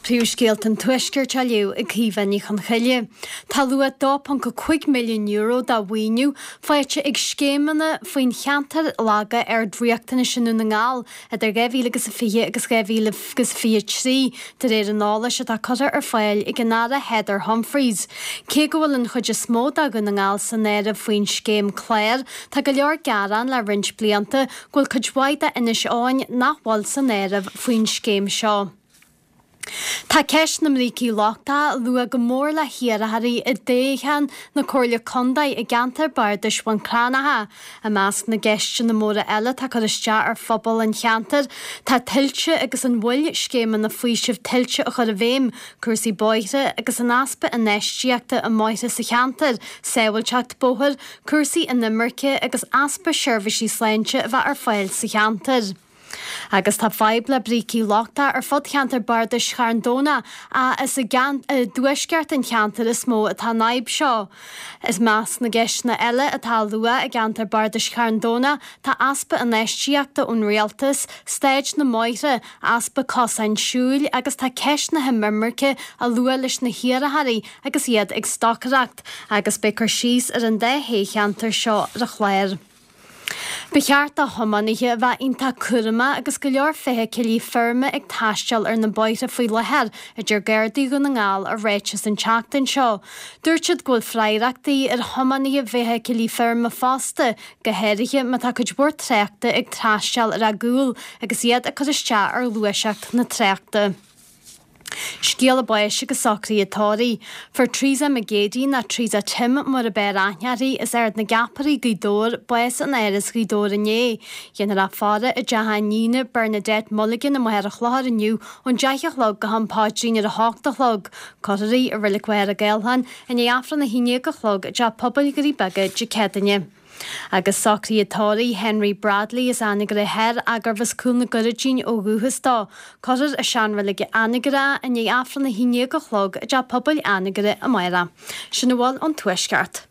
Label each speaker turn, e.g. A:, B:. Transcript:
A: Príomhscéalta an Tuaiscirt á léamh ag Caoimhe Ní Chonchoille. Tá luach €2.5 milliún de mhaoiniú faighte ag scéimeanna faoin cheantar laga ard-riachtanais i nDún na nGall idir 2020 agus 2023, de réir an eolais atá curtha ar fáil ag an Aire Heather Humphreys. Cé go bhfuil an chuid is mó de Dhún na nGall san áireamh faoin scéim clár, tá go leor gearán le roinnt blianta go bhfuil cuid mhaith d'Inis Eoghain nach bhfuil san áireamh faoin scéim seo. Tá ceist na mbrící lochtacha á lua go mór le hiarrthóirí i dtoghchán na Comhairle Contae i gceantar Bardais Bhun Cranncha. I measc na gceisteanna móra eile atá ag cur isteach ar phobal an cheantair tá tuilte agus an mhoill scéimeanna faoisimh tuilte a chur i bhfeidhm, cúrsaí bóithre agus an easpa infheistíochta i mbóithre sa cheantar, sábháilteacht bóthair, cúrsaí inimirce agus easpa seirbhísí sláinte a bheith ar fáil sa cheantar. Agus tá fadhb le brící lochtacha ar fud cheantar bardais Charn Domhnach ach is i dtuaisceart an cheantair is mó atá an fhadhb seo. I measc na gceisteanna eile atá á lua i gceantar bardais Charn Domhnach tá easpa infheistíochta ón rialtas, staid na mbóithre, easpa cosáin siúil agus tá ceist na hinimirce á lua leis na hiarrthóirí agus iad ag stocaireacht. Agus beidh cur síos ar an dá thoghcheantar seo ar an chlár. Ba cheart do thiománaithe a bheith iontach cúramach agus go leor feithicilí feirme ag taisteal ar na bóithre faoi láthair, a deir Gardaí Dhún na nGall i ráiteas an tseachtain seo. Dúirt siad go bhfuil freagrachtaí ar thiománaithe feithicilí feirme fosta, go háirithe má tá cuid mhór tráchta ag taisteal ar a gcúl agus iad ag cur isteach ar ghluaiseacht na tráchta. Scéala báis agus socruithe tórraimh. Fuair Teresa McGeady, nó Teresa Tim mar ab fhearr aithne uirthi, as Ard na gCeapairí, Gaoth Dobhair, bás in Áras Ghaoth Dobhair inné. Dhéanfar í a faire i dteach a iníne, Bernadette Mulligan i Machaire Chlochair inniu ón 10 a chlog go ham paidrín ar a hocht a chlog. Cuirfear í i Reilig Mhachaire Gathlán i ndiaidh Aifreann 11 a chlog i dTeach Pobail Dhoirí Beaga Dé Céadaoine. Agus socruithe tórraimh Henry Bradley as Anagaire Thoir ach gurbh as Cúil na gCurraidín ó dhúchas dó. Cuirfear i seanreilig Anagaire é i ndiaidh Aifreann 11 a chlog i dTeach Pobail Anagaire amárach. Sin a bhfuil ón Tuaisceart.